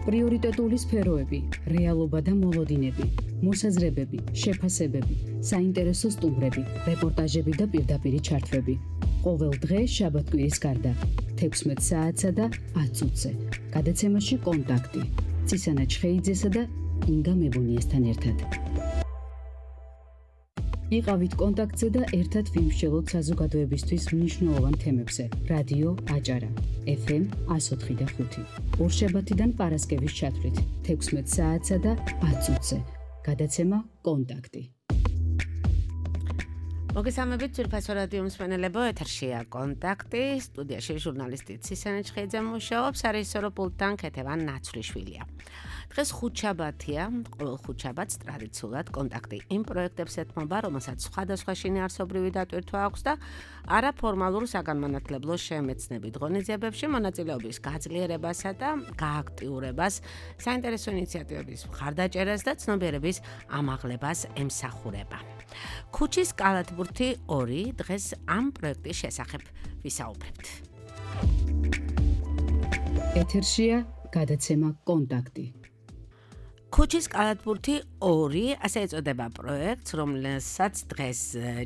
პრიორიტეტული სფეროები, რეალობა და მოლოდინები, მოსაზრებები, შეფასებები, საინტერესო სტუმრები, რეპორტაჟები და პირდაპირი ჩართვები. ყოველ დღე შაბათ-კვირის გარდა 16 საათსა და 10 წუთზე. გადაცემაში კონტაქტი. წისანა ჩხეიძესა და ინგა მებუნიესთან ერთად. იყავით კონტაქტზე და ერთად ვიმსჯელოთ საზოგადოებისთვის მნიშვნელოვან თემებზე. რადიო აჭარა, FM 104.5. ორშაბათიდან პარასკევის ჩათვლით 16 საათსა და 10 წუთზე. გადაცემა კონტაქტი. მოგესალმებით ძვირფასო რადიო მსმენელებო, ეთერშია კონტაქტი, სტუდიაში ჟურნალისტი ცისანა ჩხეიძე მუშაობს, არისორო პულტთან ქეთევან ნაცვლიშვილია. დღეს ხუთშაბათია, ყოველ ხუთშაბათს ტრადიციულად კონტაქტი იმ პროექტებს ეთმობა, რომელსაც სხვადასხვა შინაარსობრივი დატვირთვა აქვს და არაფორმალურ საგანმანათლებლო შემეცნებით ღონისძიებებში მონაწილეობის გაძლიერებასა და გააქტიურებას, საინტერესო ინიციატივების მხარდაჭერას და ცნობიერების ამაღლებას ემსახურება. ქუჩის კალათბურთი 2 დღეს ამ პროექტის შესახებ ვისაუბრებთ. ეთერშია გადაცემა კონტაქტი. ქუჩის კალათბურთი 2 ასე ეწოდება პროექტს, რომელსაც დღეს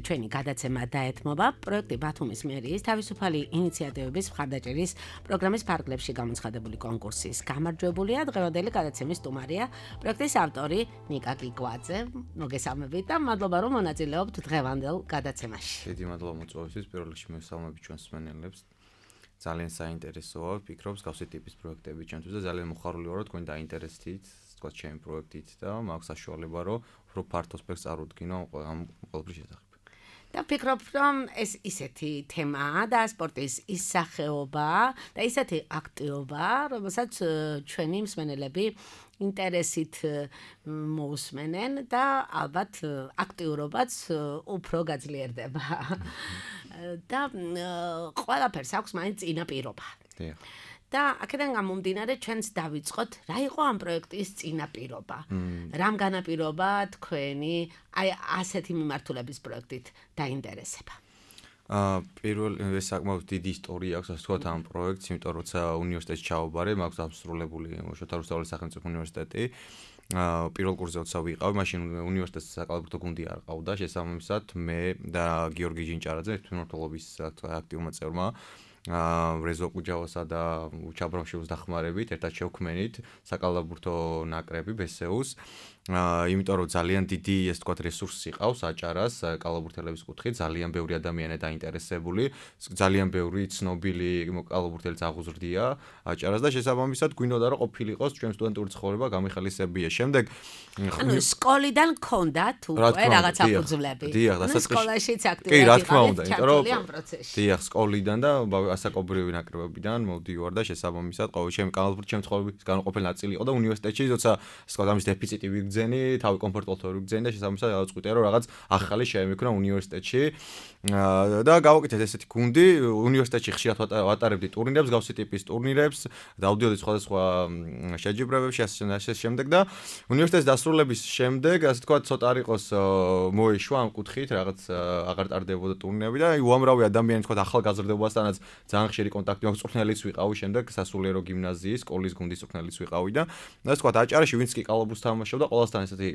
ჩვენი გადაცემა დაეთმობა. პროექტი ბათუმის მერიის თავისუფალი ინიციატივების მხარდაჭერის პროგრამის ფარგლებში გამოცხადებული კონკურსის გამარჯვებულია. დღევანდელი გადაცემის სტუმარია პროექტის ავტორი ნიკა გიგვაძე. მოგესალმებით და მადლობა რომ მონაწილეობთ დღევანდელ გადაცემაში. დიდი მადლობა მოწვევისთვის. პირველ რიგში მოგესალმებით ჩვენს მსმენელებს. ძალიან საინტერესოა, ვფიქრობ, გავსი ტიპის პროექტები ჩვენთვის და ძალიან მოხარული ვარ, რომ თქვენ დაინტერესდით თქვა ჩემი პროექტით და მაქვს საშუალება, რომ უფრო ფართო სპექტრს წარუდგინო ამ ყველაფრის შესახებ. და ვფიქრობ, რომ ეს ისეთი თემაა და სპორტის ის სახეობა და ისეთი აქტივობა, რომელსაც ჩვენი მსმენელები ინტერესით მოусმენენ და ალბათ აქტიურობაც უფრო გაძლიერდება. და ყველაფერს აქვს მაინც წინაპირობა. და აქედან გამომდინარე ჩვენს დავიწყოთ, რა იყო ამ პროექტის წინაპირობა? რამ განაპირობა თქვენი აი ასეთი მიმართულების პროექტით დაინტერესება? პირველ ეს საკმაოდ დიდი ისტორია აქვს, ასე ვთქვათ, ამ პროექტს, იმიტომ რომ როცა უნივერსიტეტში ჩავაბარე, მაქვს დასრულებული შოთა რუსთაველის სახელმწიფო უნივერსიტეტი. პირველ კურსზე როცა ვიყავ, მაშინ უნივერსიტეტის საკალათბურთო გუნდი არ ყავდა, შესაბამისად მე და გიორგი ჯინჭარაძე, თვითმმართველობის აქტიურმა წევრმა რეზო კუჯავასა და ჩაბრამშვილის დახმარებით ერთად შევქმნით საკალათბურთო ნაკრები ბესეუს. იმიტომ რომ ძალიან დიდი ეს თქვათ რესურსი ყავს აჭარას კალათბურთელების კუთხით, ძალიან ბევრი ადამიანი დაინტერესებული, ძალიან ბევრი ცნობილი კალათბურთელიც აღუზრდია აჭარას და შესაბამისად გვინდოდა რომ ყოფილიყოს ჩვენ სტუდენტური ცხოვრება გამიხელისებია. შემდეგ ანუ სკოლიდან გქონდათ უკვე რაღაც საფუძვლები. დიახ, და სკოლაშიც აქტიურად კი, რა თქმა უნდა, იმიტომ რომ ამ პროცესში. დიახ, სკოლიდან და ასაკობრივი ნაკრებებიდან მოვდივარ და შესაბამისად ყოველ ჩემი კალათბურთი ჩემი ცხოვრების განუყოფელი ნაწილი იყო და უნივერსიტეტში როცა სკოლა ამის დეფიციტი ვიგრძენი, თავი კომფორტულად ვიგრძენი და შესაბამისად გავწყვიტე რომ რაღაც ახალი შემექმნა უნივერსიტეტში და გავაკეთეთ ესეთი გუნდი. უნივერსიტეტში ხშირად ვატარებდი ტურნირებს, გავსი ტიპის ტურნირებს, დავდიოდი სხვადასხვა შეჯიბრებებში ასე შემდეგ და უნივერსიტეტის დასრულების შემდეგ, ასე თქვა, ცოტა არ იყოს მოეშვა ამ კუთხით, რაღაც აღარ ტარდებოდა ტურნირები და უამრავი ადამიანი თქვა ახალგაზრდებასთანაც ძალიან ხშირი კონტაქტი მაქვს, წვრთნელიც ვიყავი, შემდეგ სასულიერო გიმნაზიის სკოლის გუნდის წვრთნელიც ვიყავი და ასე თქვა, აჭარაში ვინც კი კალათბურთს თამაშობდა, ყველასთან ესეთი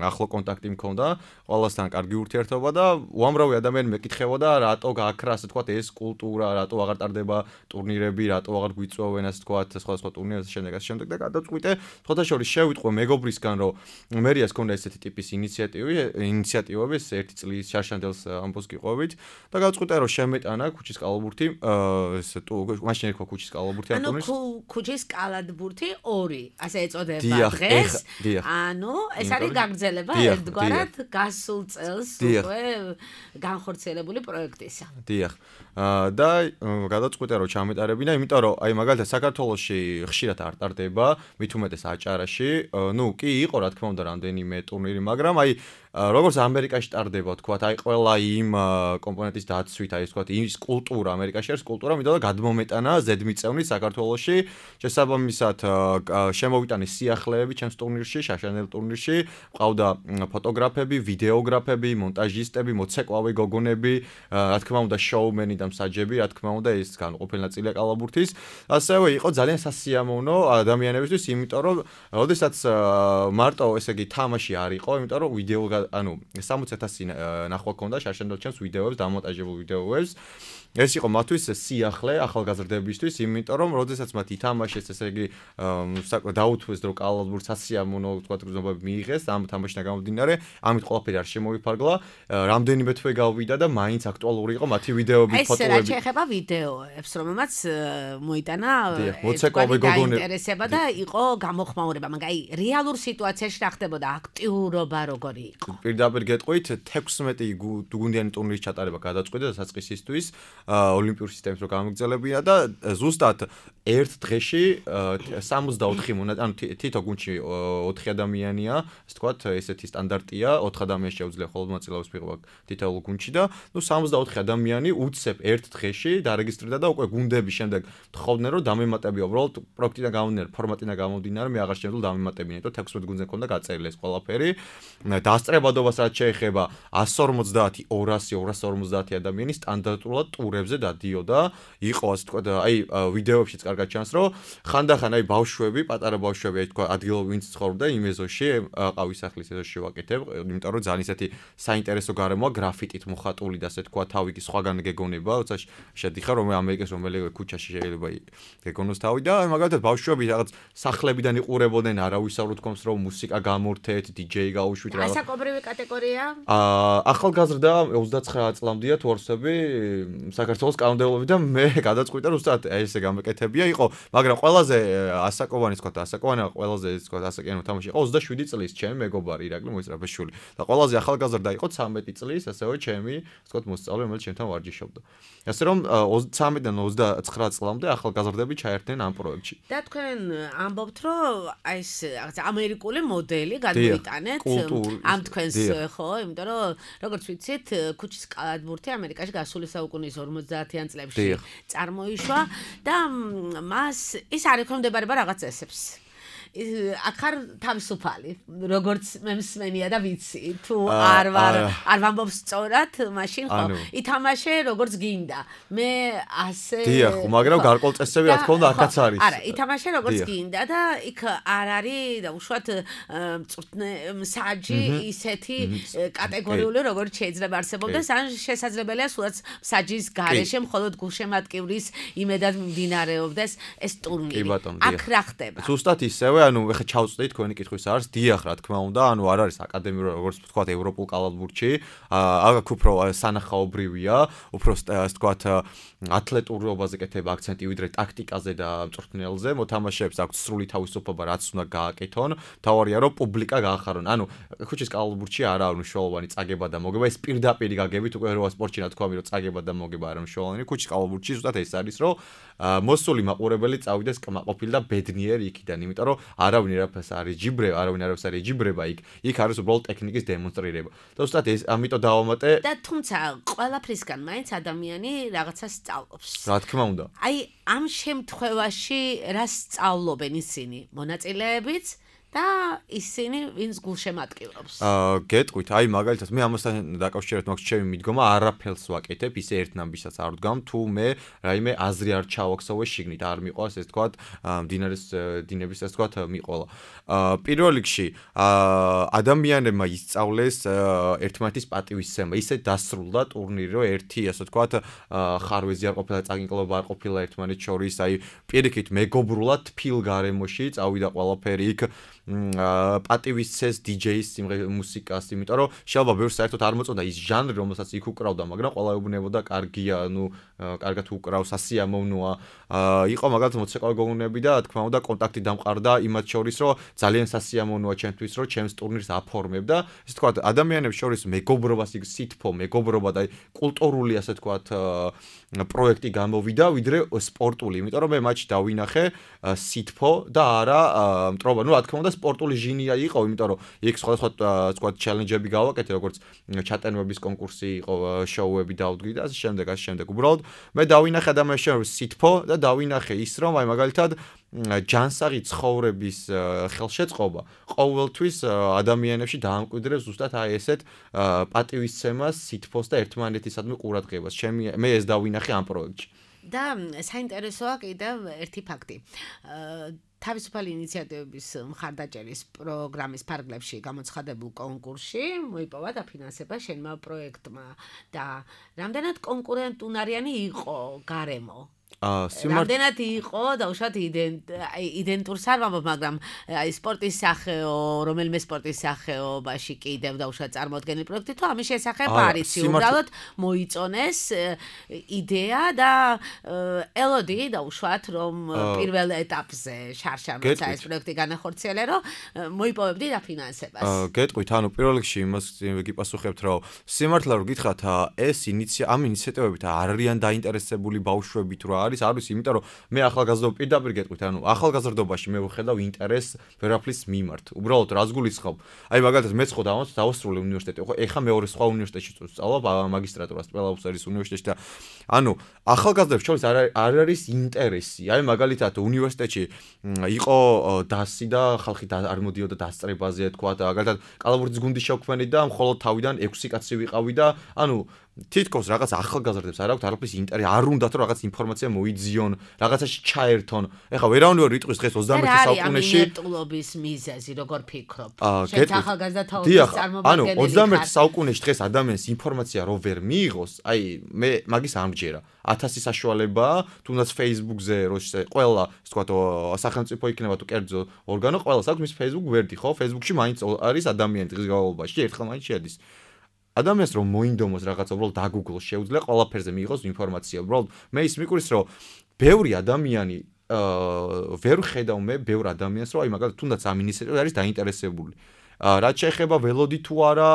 ახლო კონტაქტი მქონდა, ყველასთან კარგი ურთიერთობა და უამრავი ადამიანი მეკითხებოდა, რატო გააქრა, ასე თქვა, ეს კულტურა, რატო აღარ ტარდება ტურნირები, რატო აღარ გვიწვევენ, ასე თქვა, სხვადასხვა ტურნირებზე შემდეგ და გადავწყვიტე, სხვადასხვა შევიტყვე მეგობრისგან, რომ მერიას ქონდა ესეთი ტიპის ინიციატივები, ერთი წლის შარშანდელს ამბოს გიყვებით და გავწყვიტე, რომ შემეტანა ქუჩის კალათბურთი, მაშინ ერქვა ქუჩის კალათბურთი ამ ტურნირს. ანუ ქუჩის კალათბურთი 2, ასე ეწოდება დღეს. ანუ ეს არის გაგრძელება ერთგვარად გასულ წელს უკვე განხორციელებული პროექტისა. დიახ. და გადავწყვიტე რომ ჩამეტარებინა, იმიტომ რომ აი მაგალითად საქართველოში ხშირად არ ტარდება, მით უმეტეს აჭარაში. კი იყო რა თქმა უნდა რამდენიმე ტურნირი, მაგრამ აი როგორც ამერიკაში ტარდება, თქვათ, აი ყველა იმ კომპონენტის დაცვით, აი ეს თქვათ, ის კულტურა ამერიკაში არის კულტურა, იმიტომ რომ გადმომეტანა ზედმიწევნით საქართველოში, შესაბამისად შემოვიტანეს სიახლეები ჩემს ტურნირში, შაშანელ ტურნირში, ყავდა ფოტოგრაფები, ვიდეოგრაფები, მონტაჟისტები, მოცეკვავი გოგონები, რა თქმა უნდა, შოუმენი და მსაჯები, რა თქმა უნდა, ეს განუყოფელი ნაწილია კალაბურთის. ასევე იყო ძალიან სასიამოვნო ადამიანებისთვის, იმიტომ რომ როდესაც მარტო ესე იგი თამაში არ იყო, იმიტომ რომ ვიდეო 60,000 ნახვა ქონდა შარშანდელ ჩემს ვიდეოებს, დამონტაჟებულ ვიდეოებს. ეს იყო მათთვის სიახლე ახალგაზრდებისთვის, იმიტომ რომ როდესაც მათ ითამაშეს, ესე იგი დაუთვეს რომ კალაბურთს სასიამოვნო თქვათ გზნობები მიიღეს ამ თამაშიდან გამომდინარე, ამით ყველაფერი არ შემოვიფარგლა, რამდენიმე თვე გავიდა და მაინც აქტუალური იყო მათი ვიდეოები, ფოტოები. ეს რა შეეხება ვიდეოებს, რომელმაც მოიტანა მოცეკვავი გოგონები ინტერესება და იყო გამოხმაურება, მაგრამ აი რეალურ სიტუაციაში რა ხდებოდა, აქტიურობა როგორი იყო? პირდაპირ გეტყვით 16 გუნდიანი ტურნირის ჩატარება გადაწყვიტა დასაწყისისთვის ოლიმპიური სისტემის რო გამოგრძელებია და ზუსტად ერთ დღეში 64 ანუ თითო გუნდში 4 ადამიანია, ასე ვთქვათ, ესეთი სტანდარტია, 4 ადამიანს შეუძლია ხოლმე მონაწილეობის მიღება თითოეულ გუნდში და 64 ადამიანი უცებ ერთ დღეში დარეგისტრირდა და უკვე გუნდების შემდეგ თხოვდნენ რომ დამემატებია უბრალოდ პროექტიდან გამომდინარე, ფორმატიდან გამომდინარე, მე აღარ შემიძლია დამემატებინა, იმიტომ 16 გუნდზე ქონდა გაწერილი ეს ყველაფერი. დასწრებადობას რაც შეეხება 150, 200, 250 ადამიანი სტანდარტულად ტურებზე დადიოდა, იყო ასე ვთქვათ, აი ვიდეოებშიც კარგად ჩანს, რომ ხანდახან აი ბავშვები, პატარა ბავშვები, აი თქვა ადგილობრივ ვინც ცხოვრობდა იმ ეზოში, ყავის სახლის ეზოში ვაკეთებ, იმიტომ რომ ძალიან ისეთი საინტერესო გარემოა, გრაფიტით მოხატული და ასე თქვა, თავი კი სხვაგან გეგონება, როცა შედიხარ რომ ამერიკის რომელიმე ქუჩაში შეიძლება გეგონოს თავი და მაგალითად ბავშვები რაღაც სახლებიდან იყურებოდნენ, არავის არ უთქვამს რომ მუსიკა გამორთეთ, DJ გაუშვით რა. ასაკობრივი კატეგორია? ახალგაზრდა 29 წლამდეა თორსები საქართველოს კანონმდებლობიდან მე გადაწყვიტა რომ ზუსტად ესე გამეკეთებია იყო, მაგრამ ყველაზე ასაკოვანი თქვა, ასაკოვანი ყველაზე თქვა, ასაკიანო თამაში იყო 27 წლის ჩემი მეგობარი ირაკლი მოისწრაფეშვილი და ყველაზე ახალგაზრდა იყო 13 წლის, ასეო ჩემი თქვა მოსწავლე, რომელიც ჩემთან ვარჯიშობდა. ასე რომ 13-დან 29 წლამდე ახალგაზრდები ჩაერთნენ ამ პროექტში. და თქვენ ამბობთ რომ აი ეს რაღაც ამერიკული მოდელი გადმოიტანეთ ამ თქვენს ხო, იმიტომ რომ როგორც ვიცით, ქუჩის კალათბურთი ამერიკაში გასული საუკუნის 50-იან წლებში წარმოიშვა და მას ის არ ექვემდებარება რაღაც წესებს. აქ არ თავისუფალი, როგორც მე მსმენია და ვიცი, თუ არ ვამბობ სწორად, მაშინ ხო, ითამაშე როგორც გინდა. მე ასე დიახ, მაგრამ გარკვეულ წესები რა თქმა უნდა აქაც არის. არა, ითამაშე როგორც გინდა და იქ არ არის და უშუალოდ მსაჯი ისეთი კატეგორიული, როგორც შეიძლება არსებობდეს, ან შესაძლებელია სულაც მსაჯის გარეშე მხოლოდ გულშემატკივრის იმედად მიმდინარეობდეს ეს ტურნირი. აქ რა ხდება? ზუსტად ისევ ანუ ეხა ჩავწვდით თქვენი კითხვის არის დიახ რა თქმა უნდა ანუ არ არის აკადემიური როგორც ვთქვათ ევროპულ კალათბურთში აქ უფრო სანახაობრივია უფრო ასე ვთქვათ ათლეტურობაზე კეთება აქცენტი ვიდრე ტაქტიკაზე და მწვრთნელზე მოთამაშეებს აქვს სრული თავისუფლება რაც უნდა გააკეთონ თავარია რომ პუბლიკა გაახარონ ანუ ქუჩის კალათბურთში არა მნიშვნელოვანი წაგება და მოგება ეს პირდაპირ გაგებით უკვე რა სპორტში რა თქვა რომ წაგება და მოგება არა მნიშვნელოვანი ქუჩის კალათბურთში ზუსტად ეს არის რომ მოსული მაყურებელი წავიდეს კმაყოფილი და ბედნიერი იქიდან იმიტომ რომ არავინ არაფერს არ იჯიბრება, არავინ არაფერს არ იჯიბრება იქ არის უბრალოდ ტექნიკის დემონსტრირება. და უბრალოდ ეს ამიტომ დავამატე და თუმცა ყველაფრისგან მაინც ადამიანი რაღაცას სწავლობს. რა თქმა უნდა. აი ამ შემთხვევაში რა სწავლობენ ისინი? მონაწილეებიც და ისინი ვინც გულშემატკივრობს. გეტყვით, აი მაგალითად მე ამასთან დაკავშირებით მაქვს ჩემი მიდგომა, არაფერს ვაკეთებ, ისე ერთნამბისაც არ ვდგამ, თუ მე რაიმე აზრი არ ჩავაქსოვე შიგნით, არ მიყვას ეს თქვათ, მდინარის დინების ეს თქვათ მიყოლა. პირველ რიგში ადამიანებმა ისწავლეს ერთმანეთის პატივისცემა, ისე დასრულდა ტურნირი, რომ ერთი ასე თქვათ ხარვეზი არ ყოფილა, წაგინკლობა არ ყოფილა ერთმანეთს შორის, აი პირიქით მეგობრულად თფილ გარემოში წავიდა ყველაფერი იქ პატივისცეს DJ-ის მუსიკას, იმიტომ რომ შეიძლება ბევრს საერთოდ არ მოწონდა ის ჟანრი, რომელსაც იქ უკრავდა, მაგრამ ყველა ეუბნებოდა კარგია, ну, კარგად უკრავს, ასიამოვნოა. იყო მაგალითად მოცეკვავი გოგონები და თქმა უნდა კონტაქტი დამყარდა იმათ შორის, რომ ძალიან სასიამოვნოა ჩემთვის, რომ ჩემს ტურნირს აფორმებ და ესე თქვა ადამიანებს შორის მეგობრობას იქ სითფო, მეგობრობა და კულტურული ასე თქვა პროექტი გამოვიდა, ვიდრე სპორტული, იმიტომ რომ მე მატჩი დავინახე სითფო და არა მტრობა, ну, რა თქმა უნდა სპორტული ჟინია იყო, იმიტომ რომ იქ სხვადასხვა თქვა ჩელენჯები გავაკეთე, როგორც ჩატენვების კონკურსი იყო, შოუები დავდგი და ასე შემდეგ. უბრალოდ მე დავინახე ადამიანებს სითფო და დავინახე ის, რომ აი მაგალითად ჯანსაღი ცხოვრების ხელშეწყობა ყოველთვის ადამიანებში დაამკვიდრებს ზუსტად აი ესეთ პატივისცემას, სითფოს და ერთმანეთისადმი ყურადღებას. მე ეს დავინახე ამ პროექტში. და საინტერესოა კიდევ ერთი ფაქტი. თავისუფალი ინიციატივების მხარდაჭერის პროგრამის ფარგლებში გამოცხადებულ კონკურსში მოიპოვა დაფინანსება შენმა პროექტმა და რამდენად კონკურენტუნარიანი იყო გარემო. რამდენად იყო დაუშვათ იდენტურს არ ვამბობ, მაგრამ აი სპორტის სახეო, რომელიმე სპორტის სახეობაში კიდევ დაუშვათ წარმოდგენილი პროექტი თუ ამის შესახებ არის უბრალოდ მოიწონეს იდეა და ელოდი დაუშვათ რომ პირველ ეტაპზე შარშან როცა ეს პროექტი განახორციელე რომ მოიპოვებდი დაფინანსებას. გეტყვით, ანუ პირველ რიგში იმას გიპასუხებთ რომ სიმართლე რომ გითხრათ ეს ამ ინიციატივებით არ არიან დაინტერესებული ბავშვები თუ არის, იმიტომ რომ მე ახალგაზრდობა პირდაპირ გეტყვით, ანუ ახალგაზრდობაში მე ვხედავ ინტერესს ვერაფრის მიმართ. უბრალოდ რას გულისხმობ? აი მაგალითად მე ხო დავასრულე უნივერსიტეტი, ხო ეხა მეორე სხვა უნივერსიტეტში ვსწავლობ, მაგისტრატურას პელაუსერის უნივერსიტეტში და ანუ ახალგაზრდებს შორის არ არის ინტერესი. აი მაგალითად უნივერსიტეტში იყო დასი და ხალხი არ მოდიოდა დასწრებაზე, თქვა და მაგალითად კალაბურდის გუნდის შევქმნით და მხოლოდ თავიდან 6 კაცი ვიყავი და ანუ თითქოს რაღაც ახალგაზრდებს არ აქვთ არაფრის ინტერესი, არ უნდათ რომ რაღაც ინფორმაცია მოიძიონ, რაღაცაში ჩაერთონ. ეხლა ვერავინ ვერ იტყვის დღეს 21 საუკუნეში ამინეტულობის მიზეზი, როგორ ფიქრობ? შენ ახალგაზრდა თაობის ანუ წარმომადგენელი 21 საუკუნეში დღეს ადამიანს ინფორმაცია რო ვერ მიიღოს, აი მე მაგის ამჯერა. 1000 საშუალებაა, თუნდაც Facebook-ზე რო ყველა, ასე ვთქვათ, სახელმწიფო იქნება თუ კერძო ორგანო, ყველას აქვს მის Facebook ვერდი, ხო? Facebook-ში მაინც არის ადამიანი დღის განმავლობაში, ერთხელ მაინც შედის. ადამიანს რომ მოინდომოს რაღაცა, უბრალოდ დაგუგლოს, შეუძლია ყველაფერზე მიიღოს ინფორმაცია. უბრალოდ მე ის მიყრის, რომ ბევრი ადამიანი ვერ ხედავ მე ბევრ ადამიანს, რომ აი მაგალითად თუნდაც ამ ინიციატივით არის დაინტერესებული. რაც შეეხება ველოდი თუ არა,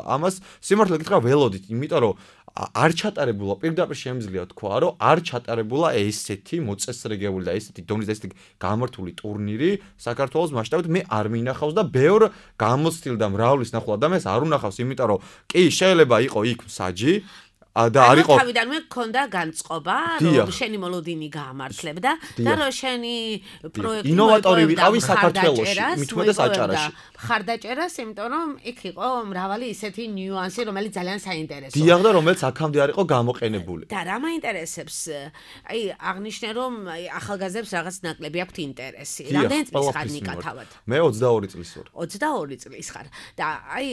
ამას სიმართლე გითხრა ველოდით, იმიტომ რომ არ ჩატარებულა, პირდაპირ შემიძლია თქვა, რომ არ ჩატარებულა ესეთი მოწესრიგებული და ესეთი დონის და ესეთი გამართული ტურნირი საქართველოს მასშტაბით მე არ მინახავს და ბევრ გამოცდილ და მრავლის ნახულ ადამიანს არ უნახავს, იმიტომ რომ კი შეიძლება იყო იქ მსაჯი და არ იყო თავიდანვე მქონდა განწყობა, რომ შენი მოლოდინი გაამართლებდა და რომ შენი პროექტი ინოვატორი ვიყავი საქართველოში, მithumetes აჭარაში. ხარდაჭერას, იმიტომ რომ იქ იყო მრავალი ისეთი ნიუანსი, რომელიც ძალიან საინტერესოა. დიახ და რომელიც აქამდე არ იყო გამოყენებული. და რა მაინტერესებს? აი აღნიშნე რომ ახალგაზრდებს რაღაც ნაკლები აქვთ ინტერესი. რამდენი წლის ხარ ნიკა თავად? მე 22 წლის ვარ. 22 წლის ხარ. და აი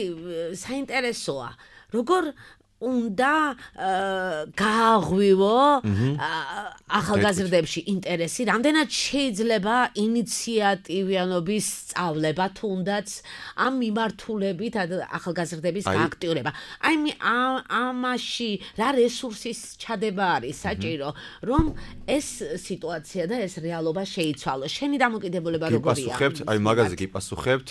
საინტერესოა, როგორ უნდა გააღვივო ახალგაზრდებში ინტერესი, რამდენად შეიძლება ინიციატივიანობის სწავლება, თუნდაც ამ მიმართულებით ახალგაზრდების გააქტიურება. აი ამაში რა რესურსის ჩადება არის საჭირო, რომ ეს სიტუაცია და ეს რეალობა შეიცვალოს. შენი დამოკიდებულება როგორია? გიპასუხებთ, აი მაგაზე გიპასუხებთ,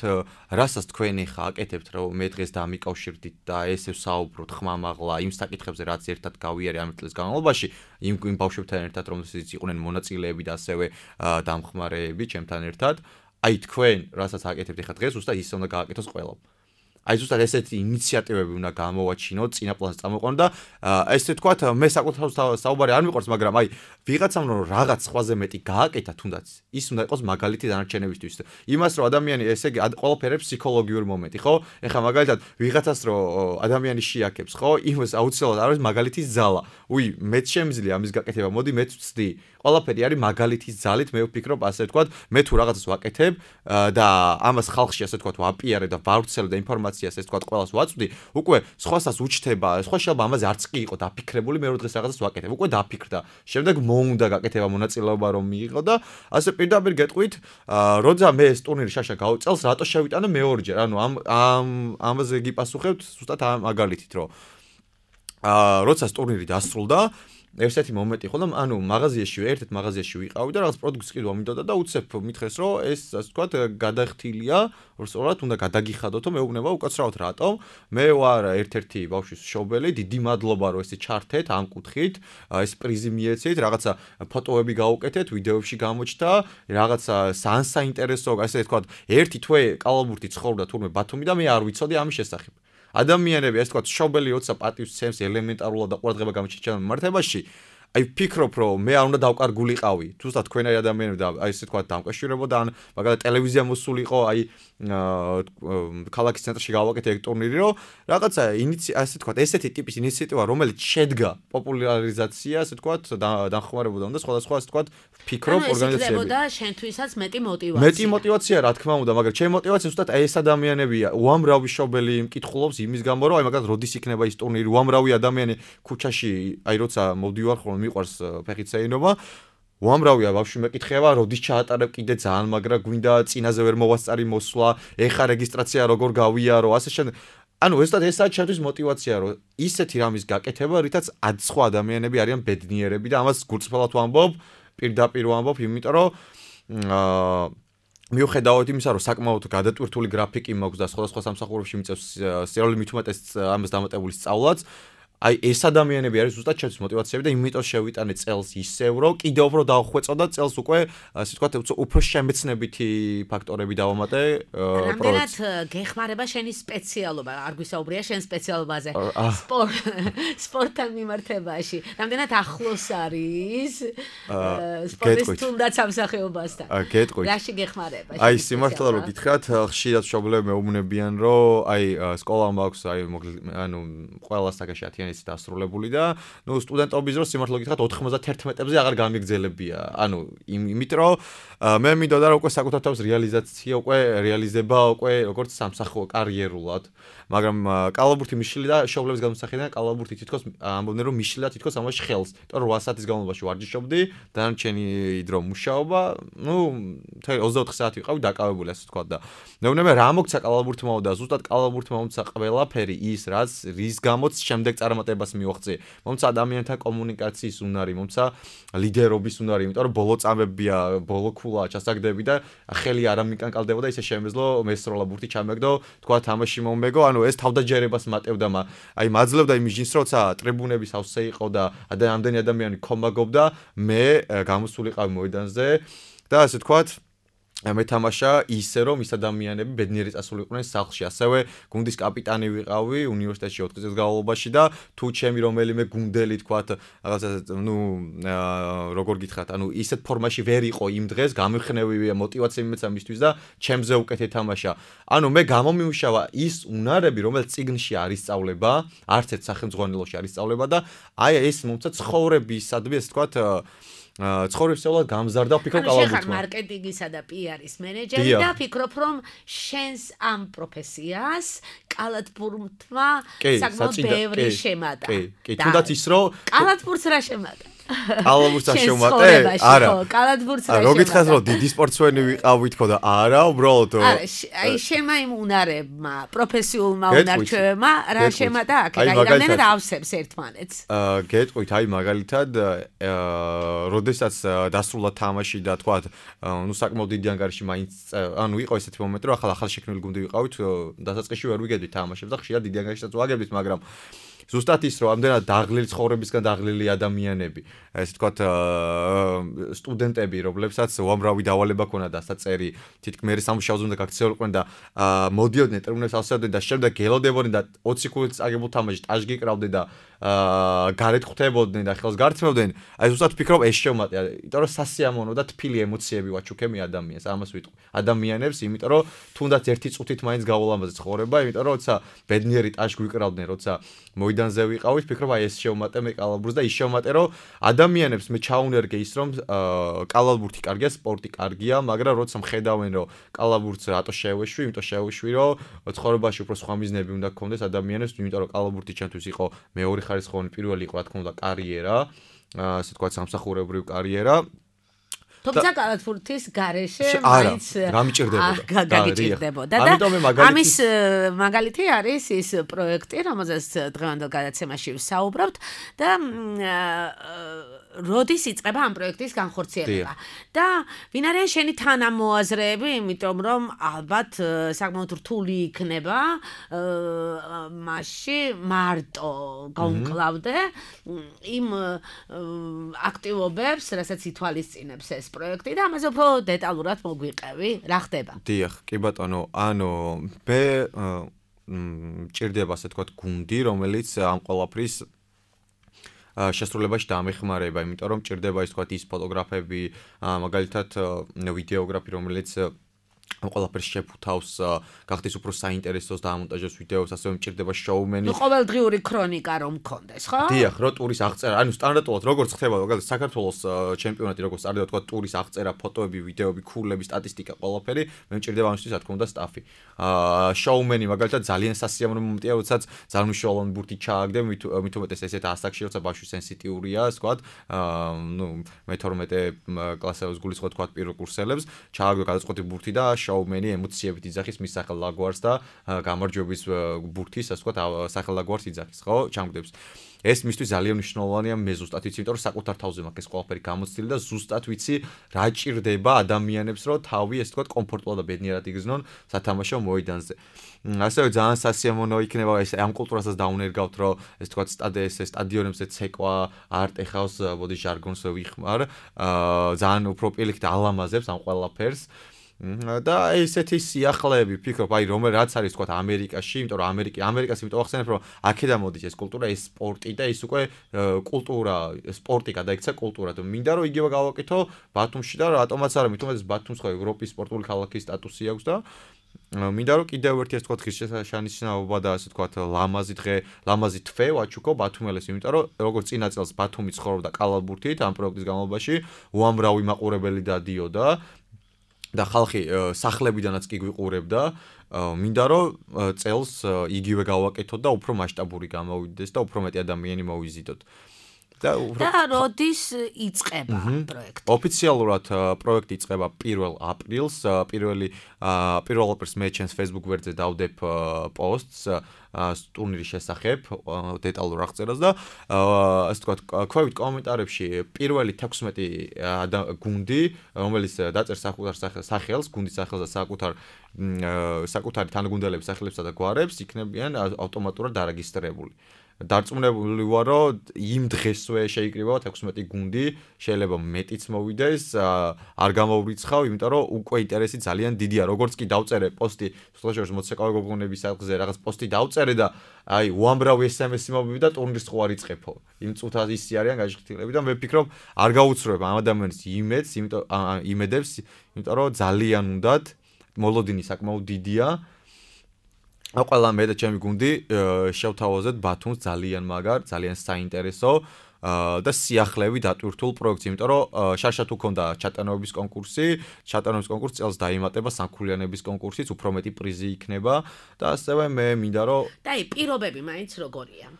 რასაც თქვენ ახლა აკეთებთ, რომ მე დღეს დამიკავშირდით და ესე ვსაუბროთ ხმამაღლა იმ საკითხებზე, რაც ერთად გავიარე ამ წლის განმავლობაში, იმ ბავშვებთან ერთად, რომელთაც იყვნენ მონაწილეები და ასევე დამხმარეები ჩემთან ერთად, აი თქვენ, რასაც აკეთებთ ახლა დღეს, უბრალოდ ის უნდა გააკეთოს ყველამ. აი ზუსტად ესეთი ინიციატივები უნდა გამოვაჩინოთ, წინა პლანს წამოყვანოთ და ესე ვთქვათ, მე საკუთარ საუბარი არ მიყვარს, მაგრამ აი ვიღაცამ რომ რაღაც სხვაზე მეტი გააკეთა თუნდაც, ის უნდა იყოს მაგალითი დანარჩენებისთვის. იმას რომ ადამიანი ესე იგი ყველაფერი ფსიქოლოგიური მომენტი, ხო? ეხლა მაგალითად ვიღაცას რომ ადამიანი შეაქებს, ხო? იმას აუცილებლად არის მაგალითის ძალა. უი, მეც შემიძლია ამის გაკეთება, მოდი მეც ვცდი. ყველაფერი არის მაგალითის ძალით, მე ვფიქრობ ასე ვთქვათ, მე თუ რაღაცას ვაკეთებ და ამას ხალხში ასე ვთქვათ ვაპიარე და ვავრცელებ და ინფორმაციას ასე ვთქვათ ყველას ვაწვდი, უკვე სხვასაც უჩნდება, სხვა შეიძლება ამაზე არც კი იყო დაფიქრებული, მე რო დღეს რაღაცას ვაკეთებ, უკვე დაფიქრდა. შემდეგ მოუნდა გაკეთება მონაწილეობა რომ მიიღო და ასე პირდაპირ გეტყვით, როცა მე ეს ტურნირი შაშა გავწელს, რატო შევიტანე მეორჯერ? ანუ ამაზე გიპასუხებთ ზუსტად ამ მაგალითით, რომ როცა ტურნირი დასრულდა ერთ-ერთი მომენტი ხო და ანუ მაღაზიაში ერთ-ერთ მაღაზიაში ვიყავი და რაღაც პროდუქტს ყიდვა მინდოდა და უცებ მითხრეს რომ ეს ასე ვთქვათ გადახთილია სწორად უნდა გადაგიხადოთო მეუბნება უკაცრავად რატომ მე ვარ ერთ-ერთი ბავშვის მშობელი დიდი მადლობა რომ ესე ჩართეთ ამ კუთხით ეს პრიზი მიეცით რაღაცა ფოტოები გაუკეთეთ ვიდეოებში გამოჩნდა რაღაცა საინტერესო ასე ვთქვათ ერთი თვე კალაბურთი ცხოვრობდა თურმე ბათუმი და მე არ ვიცოდი ამის შესახებ ადამიანები ასე ვთქვათ მშობელი როცა პატივს ცემს ელემენტარულად და ყურადღება გამიჩნდა მიმართებაში აი ფიქრობ რომ მე არ უნდა დავკარგულიყავი თუცა თქვენაი ადამიანები და აი ესე ვთქვათ დამკავშირებოდა ან მაგალითად ტელევიზია მოსულიყო აი ქალაქის ცენტრში გავაკეთე ეგ ტურნირი რომ რაღაცა ასე ვთქვათ ესეთი ტიპის ინიციატივა რომელიც შედგა პოპულარიზაცია ასე ვთქვათ დახმარებოდა უნდა სხვადასხვა ასე ვთქვათ ფიქრობ ორგანიზაციები და შენთვისაც მეტი მოტივაცია რა თქმა უნდა მაგრამ ჩემი მოტივაცია ზუსტად ეს ადამიანებია უამრავი მშობელი მკითხულობს იმის გამო რომ აი მაგალითად როდის იქნება ის ტურნირი უამრავი ადამიანი ქუჩაში აი როცა მოვდივარ ხოლმე მიყვარს ფეხით შეინობა უამრავია ბავშვი მეკითხება როდის ჩაატარებ კიდე ძალიან მაგრა გვინდა წინაზე ვერ მოვასწარი მოსვლა ეხა რეგისტრაცია როგორ გავიარო ასე შემდეგ ანუ ზუსტად ესაა ჩემთვის მოტივაცია რომ ისეთი რამის გაკეთება რითაც სხვა ადამიანები არიან ბედნიერები და ამას გულწრფელად ვამბობ პირდაპირ ვამბობ იმიტომ რომ მიუხედავად იმისა რომ საკმაოდ გადატვირთული გრაფიკი მაქვს და სხვადასხვა სამსახურებში მიწევს სერიალი მით უმეტეს ამას დამატებული სწავლაც აი ეს ადამიანები არის ზუსტად ჩემთვის მოტივაციები და იმიტომ შევიტანე წელს ისევ რომ კიდევ უფრო დავხვეწო და წელს უკვე ასე ვთქვათ უფრო შემეცნებითი ფაქტორები დავამატე რამდენად გეხმარება შენი სპეციალობა არ გვისაუბრია შენ სპეციალობაზე სპორტთან მიმართებაში რამდენად ახლოს არის სპორტის თუნდაც სამსახიობასთან რაში გეხმარება აი სიმართლე რომ გითხრათ ხშირად მშობლები მეუბნებიან რომ აი სკოლა მაქვს აი ანუ ყველა საკაშათი ის დასრულებული და ნუ სტუდენტობის დროს სიმართლე გითხრათ 91-ებზე აღარ გამიგძელებია. ანუ იმით რომ მე მინდოდა რომ უკვე საკუთარ თავს რეალიზაცია უკვე რეალიზება უკვე როგორც სამსახო კარიერულად. მაგრამ კალაბურთი მიშლი და შობლების გამოსახედიდან კალაბურთი თითქოს ამბობდნენ რომ მიშლი და თითქოს ამაში ხელს. იმიტომ რომ 8 საათის განმავლობაში ვარჯიშობდი, დანარჩენი დრო მუშაობა, ნუ 24 საათი ვიყავი დაკავებული ასე ვთქვა და მეუბნებიან რა მოგცა კალაბურთმა და ზუსტად კალაბურთმა მომცა ყველაფერი ის რაც რის გამოც შემდეგ წარმატებას მიაღწია. მომცა ადამიანთა კომუნიკაციის უნარი, მომცა ლიდერობის უნარი, იმიტომ რომ ბოლო წამებია, ბოლო ქულა ჩასაგდები და ხელი არ ამიკანკალდებოდა ისე შემეძლო მესროლა ბურთი ჩამეგდო, თქვა თამაში მომეგო, ანუ ეს თავდაჯერებას მატევდა აი მაძლევდა იმის ჯინს როცა ტრიბუნები სავსე იყო და ამდენი ადამიანი კომაგობდა, მე გამოსულიყავი მოედანზე და ასე თქვათ მეთამაშა ისე რომ ის ადამიანები ბედნიერი წასულიყვნენ სახლში. ასევე გუნდის კაპიტანი ვიყავი უნივერსიტეტში 4 წლის განმავლობაში და თუ ჩემი რომელიმე გუნდელი თქვათ რაღაცა ნუ როგორ გითხრათ, ანუ ისეთ ფორმაში ვერ იყო იმ დღეს, გამიხნევია мотиваცია იმეცა მისთვის და ჩემზე უკეთ ეთამაშა. ანუ მე გამომიმუშავა ის უნარები, რომელიც წიგნში არის სწავლება, არც ერთ სახელმძღვანელოში არის სწავლება და აი ეს მომცა ცხოვრებისადმი ესე თქვათ ცხოვრებისეულად გამზარდა ფიქრობ კალაბურთმა. შეხარ მარკეტინგისა და PR-ის მენეჯერი და ფიქრობ რომ შენს ამ პროფესიას კალათბურთმა საკმაოდ ბევრი შემატა. კი, თუნდაც ის რომ კალათბურთს რა შემატა? კალათბურთს შემატე? არა. კალათბურთს რა შემატა? რო გითხრათ რომ დიდი სპორტსმენი ვიყავი თქო და არა, უბრალოდ აი შემა იმ უნარებმა, პროფესიულმა უნარჩვევებმა რა შემატა აქ? აი რამდენად ავსებს ერთმანეთს? გეტყვით, აი მაგალითად როდესაც დასრულდა თამაში და თქვა ნუ საკმაოდ დიდი ანგარიში მაინც ანუ იყო ესეთი მომენტი რომ ახალ შექმნილი გუნდი ვიყავით დასაწყისში ვერ ვიგებდით თამაშებს და ხშირად დიდი ანგარიშსაც ვაგებდით მაგრამ ზუსტად ის რომ ამდენად დაღლილი ცხოვრებისგან დაღლილი ადამიანები ესე თქვათ სტუდენტები რომლებსაც უამრავი დავალება ქონდა და საწერი თითქმის სამუშაოზე უნდა გაქცეულიყვნენ და მოდიოდნენ ტრიბუნებს ავსებდნენ და შემდეგ გელოდებოდნენ და 20 ქულით წაგებულ თამაშში ტაჟ გიკრავდნენ და გარეთ ხვდებოდნენ და ხელს გართმევდნენ აი ზუსტად ფიქრობ ეს შემატია იმიტომ რომ სასიამოვნო და თბილი ემოციები ვაჩუქე მე ადამიანს ამას ვიტყვი ადამიანებს იმიტომ რომ თუნდაც ერთი წუთით მაინც გაულამაზე ცხოვრება იმიტომ რომ როცა ბედნიერი ტაჟ გვიკრავდნენ როცა მოედანზე ვიყავით ფიქრობ აი ეს შემატე მე კალაბურთს და ის შემატე რომ ადამიანებს მე ჩაუნერგე ის რომ კალაბურთი კარგია სპორტი კარგია მაგრამ როცა მხედავენ რომ კალაბურთს რატო შევეშვი იმიტომ შევეშვი რომ ცხოვრებაში უფრო სხვა მიზნები უნდა გქონდეს ადამიანებს იმიტომ რომ კალაბურთი ჩემთვის იყო მეორე ხარისხოვანი პირველი იყო რა თქმა უნდა კარიერა ასე თქვა სამსახურებრივი კარიერა თუმცა კალათბურთის გარეშე არა, მაინც გამიჭირდებოდა. და ამიტომ ამის მაგალითი არის ის პროექტი, რომელზეც დღევანდელ გადაცემაში ვსაუბრობთ და როდის იწყება ამ პროექტის განხორციელება და ვინ არიან შენი თანამოაზრეები, იმიტომ რომ ალბათ საკმაოდ რთული იქნება მასში მარტო გაუმკლავდე იმ აქტივობებს, რასაც ითვალისწინებს ეს პროექტი და ამაზე უფრო დეტალურად მოგვიყევი, რა ხდება? დიახ, კი ბატონო, ანუ მე მჭირდება ასე თქვა გუნდი, რომელიც ამ ყველაფრის შესრულებაში დამეხმარება, იმიტომ რომ მჭირდება ის თქვა ის ფოტოგრაფები, მაგალითად ვიდეოგრაფი, რომელიც ამ ყველაფერს შეფუთავს, გახდეს უფრო საინტერესოს დამონტაჟოს ვიდეოს, ასევე მჭირდება შოუმენი. ყოველდღიური ქრონიკა რომ მქონდეს, ხო? დიახ, რო ტურის აღწერა, ანუ სტანდარტულად როგორც ხდება, მაგალითად საქართველოს ჩემპიონატი როგორც წარდება, თქვა ტურის აღწერა, ფოტოები, ვიდეოები, ქულები, სტატისტიკა, ყველაფერი, მე მჭირდება ამისთვის რა თქმა უნდა სტაფი. შოუმენი მაგალითად ძალიან სასიამოვნო მომენტია, როდესაც ძალიან მნიშვნელოვანი ბურთი ჩააგდე, მით უმეტეს ესეთ ასაკში, როცა ბავშვი სენსიტიურია, თქვა, მე-12 კლასელებს გულისხმობ თქვა პირველ კურსელებს, ჩააგდო გადაწყვეტი ბურთი და შოუმენი ემოციებით იძახის მის სახელლაგვარს და გამარჯვების ბურთის, ასე ვთქვათ, სახელლაგვარს იძახის, ხო? ჩამგდებს. ეს მისთვის ძალიან მნიშვნელოვანია, მე ზუსტად ვიცი, იმიტომ რომ საკუთარ თავზე მაქვს ეს ყველაფერი გამოცდილი და ზუსტად ვიცი რა ჭირდება ადამიანებს, რომ თავი, ასე ვთქვათ, კომფორტულად და ბედნიერად იგრძნონ სათამაშო მოედანზე. ასევე ძალიან სასიამოვნო იქნება ეს ამ კულტურასაც დაუნერგავთ, რომ ეს ვთქვათ, სტადიონებზე ცეკვა, არტ ეხავს, ბოდი ჟარგონს ვიხმარ, ძალიან უფრო პირიქით ალამაზებს ამ ყველაფერს. და ესეთი სიახლეები ფიქრობ, აი რაც არის თქვა ამერიკაში, იმიტომ რომ ამერიკას იმიტომ ახსენებ, რომ აქედან მოდის ეს კულტურა, ეს სპორტი და ის უკვე კულტურა, სპორტი გადაიქცა კულტურად. მინდა რომ იგივე გავაკეთო ბათუმში და რატომაც არა, მithumetes ბათუმს ხო ევროპის სპორტული ქალაქის სტატუსი აქვს და მინდა რომ კიდევ ერთი ეს თქვა ღირსშესანიშნაობა და ასე თქვა ლამაზი თვე ვაჩუქო ბათუმელეს, იმიტომ რომ როგორც წინა წელს ბათუმი ცხოვრობდა კალათბურთით ამ პროექტის განმავლობაში, უამრავი მაყურებელი დადიოდა და ხალხი სახლებიდანაც კი გვიყურებდა. მინდა რომ წელს იგივე გავაკეთოთ და უფრო მასშტაბური გამოვიდეს და უფრო მეტი ადამიანი მოვიზიდოთ. და როდის იწყება პროექტი? ოფიციალურად პროექტი იწყება 1 აპრილს. 1 აპრილს მე ჩემს Facebook გვერდზე დავდებ პოსტს ტურნირის შესახებ, დეტალურ აღწერას და ასე ვთქვათ, ქვევით კომენტარებში პირველი 16 გუნდი, რომელიც დაწერს საკუთარ სახელს, გუნდის სახელს და საკუთარი თანაგუნდელების სახელებსა და გვარებს, იქნებიან ავტომატურად დარეგისტრირებული. დარწმუნებული ვარ, რომ იმ დღესვე შეიკრიბება 16 გუნდი, შეიძლება მეტიც მოვიდეს, არ გამოვრიცხავ, იმიტომ რომ უკვე ინტერესი ძალიან დიდია. როგორც კი დავწერე პოსტი, სოციალურ მოცეკვავე გოგონების სახლზე რაღაც პოსტი დავწერე და აი უამრავი SMS-ი მოვიდა ტურნირის ხო არ იწყებო. იმ წუთად ისე არიან გაჟღთილები და მე ვფიქრობ, არ გაუცროებ ამ ადამიანის იმედებს, იმიტომ რომ ძალიან უნდათ, მოლოდინი საკმაოდ დიდია. ყველა მე და ჩემი გუნდი შევთავაზეთ ბათუმს ძალიან მაგარ, ძალიან საინტერესო და სიახლეები დატვირთულ პროექტს, იმიტომ რომ შარშად უქონდა ჩატარების კონკურსი, წელს დაიმატება სამქულიანების კონკურსიც, უფრო მეტი პრიზი იქნება და ასევე მე მინდა რომ და აი პირობები მაინც როგორია?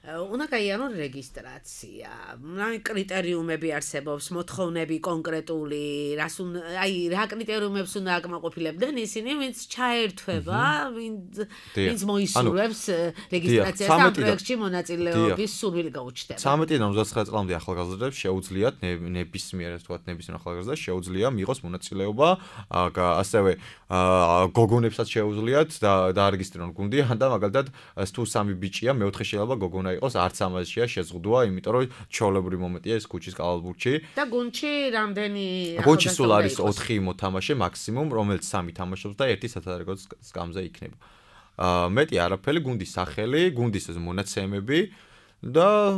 უნდა გაიარონ რეგისტრაცია, კრიტერიუმები არსებობს, მოთხოვნები კონკრეტული, რა კრიტერიუმებს უნდა აკმაყოფილებდნენ ისინი, ვინც ჩაერთვება, ვინც მოისურვებს რეგისტრაციას და პროექტში მონაწილეობის სურვილი გაუჩნდება. 13-დან 29 წლამდე ახალგაზრდებს შეუძლიათ ნებისმიერ ახალგაზრდას შეუძლია მიიღოს მონაწილეობა, ასევე გოგონებსაც შეუძლიათ დაარეგისტრირონ გუნდი, და მაგალითად თუ 3 ბიჭია, მეოთხე შეიძლება გოგონა იყოს, არც ამაზეა შეზღუდვა, იმიტომ რომ ჩაოლებრივი მომენტია ეს ქუჩის კალათბურთში. და გუნდში რამდენი გუნდში სულ არის 4 მოთამაშე მაქსიმუმ, რომელიც 3 თამაშობს და 1 სათადარიგო სკამზე იქნება. მეტი არაფერი, გუნდის სახელი, გუნდის მონაცემები და